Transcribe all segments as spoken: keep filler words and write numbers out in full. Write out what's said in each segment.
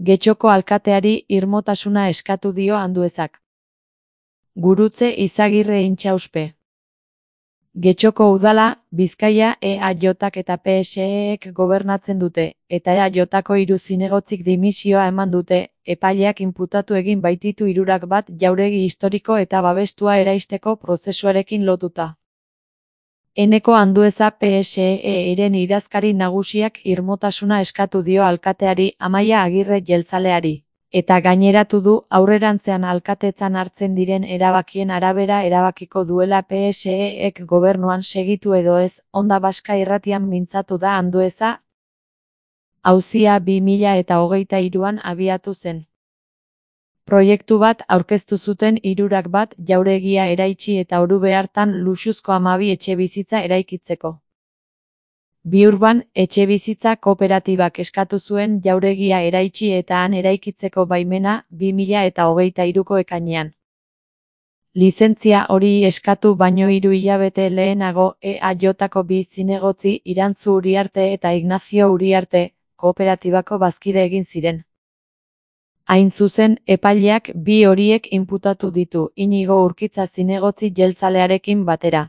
Getxoko alkateari irmotasuna eskatu dio Anduezak. Gurutze Izagirre Intxauspe. Getxoko udala, Bizkaia E A Jk eta P S E-ek gobernatzen dute, eta E A Jko hiru zinegotzik dimisioa eman dute, epaileak inputatu egin baititu hirurak bat jauregi historiko eta babestua eraisteko prozesuarekin lotuta. Eneko Andueza P S E-ren idazkari nagusiak irmotasuna eskatu dio alkateari Amaia Agirre jeltzaleari, eta gaineratu du aurrerantzean alkatetzan hartzen diren erabakien arabera erabakiko duela P S E-ek gobernuan segitu edo ez, Onda Baska irratian mintzatu da Andueza. Auzia bi mila eta hogeita hiruan abiatu zen. Proiektu bat aurkeztu zuten hirurak bat jauregia eraitsi eta Orube hartan luxuzko hamabi etxebizitza eraikitzeko. Biurban, etxebizitza kooperatibak eskatu zuen jauregia eraitsi eta han eraikitzeko baimena bi mila eta hogeita hiruko ekainean. Lizentzia hori eskatu baino hiru hilabete lehenago E A Jko bi zinegotzi Irantzu Uriarte eta Ignazio Uriarte, kooperatibako bazkide egin ziren. Hain zuzen, epaileak bi horiek inputatu ditu Inigo Urkitza zinegotzi jeltzalearekin batera.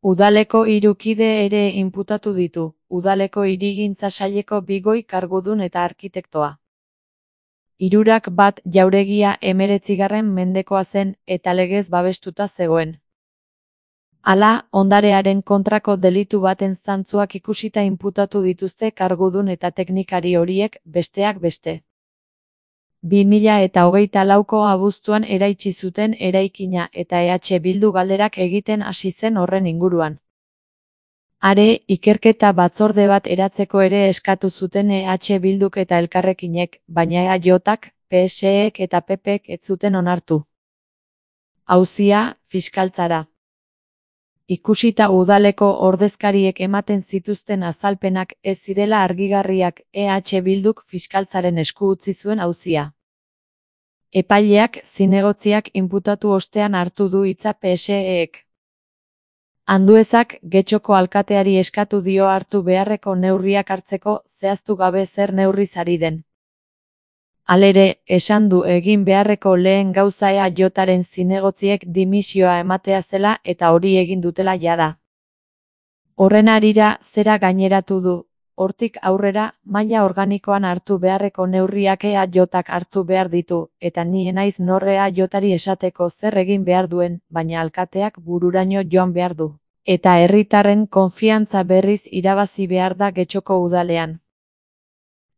Udaleko hiru kide ere inputatu ditu, udaleko hirigintza saileko bi goi kargudun eta arkitektoa. Hirurak bat jauregia hemeretzigarren mendekoa zen eta legez babestuta zegoen. Hala, ondarearen kontrako delitu baten zantzuak ikusita inputatu dituzte kargudun eta teknikari horiek, besteak beste. bi mila eta hogeita lauko abuztuan eraitsi zuten eraikina eta E H Bildu galderak egiten hasi zen horren inguruan. Are, ikerketa batzorde bat eratzeko ere eskatu zuten E H Bilduk eta Elkarrekinek, baina E A Jk, P S E-ek eta P P-ek ez zuten onartu. Auzia, fiskaltzara. Ikusita udaleko ordezkariek ematen zituzten azalpenak ez zirela argigarriak, E H Bilduk fiskaltzaren esku utzi zuen auzia. Epaileak zinegotziak inputatu ostean hartu du hitza P S E-ek. Anduezak Getxoko alkateari eskatu dio hartu beharreko neurriak hartzeko, zehaztu gabe zer neurriz ari den. Halere, esan du egin beharreko lehen gauza E A Jren zinegotziek dimisioa ematea zela eta hori egin dutela jada. Horren harira, zera gaineratu du, hortik aurrera, maila organikoan hartu beharreko neurriak E A Jk hartu behar ditu, eta ni enaiz nor E A Jri esateko zer egin behar duen, baina alkateak bururaino joan behar du. Eta herritarren konfiantza berriz irabazi behar da Getxoko udalean.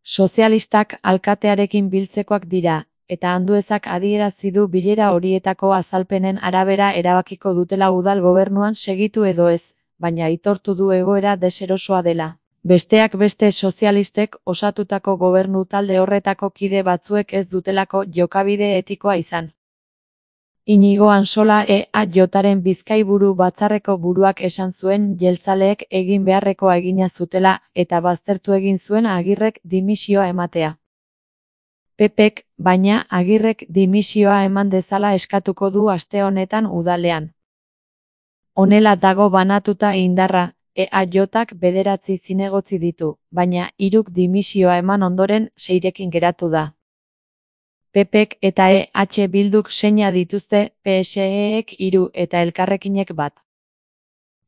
Sozialistak alkatearekin biltzekoak dira, eta Anduezak adierazi du bilera horietako azalpenen arabera erabakiko dutela udal gobernuan segitu edo ez, baina aitortu du egoera deserosoa dela. Besteak beste sozialistek osatutako gobernu talde horretako kide batzuek ez dutelako jokabide etikoa izan. Inigo Ansola E A Jren Bizkaiburu batzarreko buruak esan zuen jeltzaleek egin beharrekoa egina zutela eta baztertu egin zuen Agirrek dimisioa ematea. P P-ek, baina, Agirrek dimisioa eman dezala eskatuko du aste honetan udalean. Honela dago banatuta indarra, E A Jk bederatzi zinegotzi ditu, baina hiruk dimisioa eman ondoren seirekin geratu da. P P-ek eta E H Bilduk seina dituzte, P S E-ek hiru eta Elkarrekinek bat.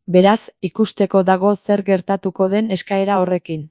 Beraz, ikusteko dago zer gertatuko den eskaera horrekin.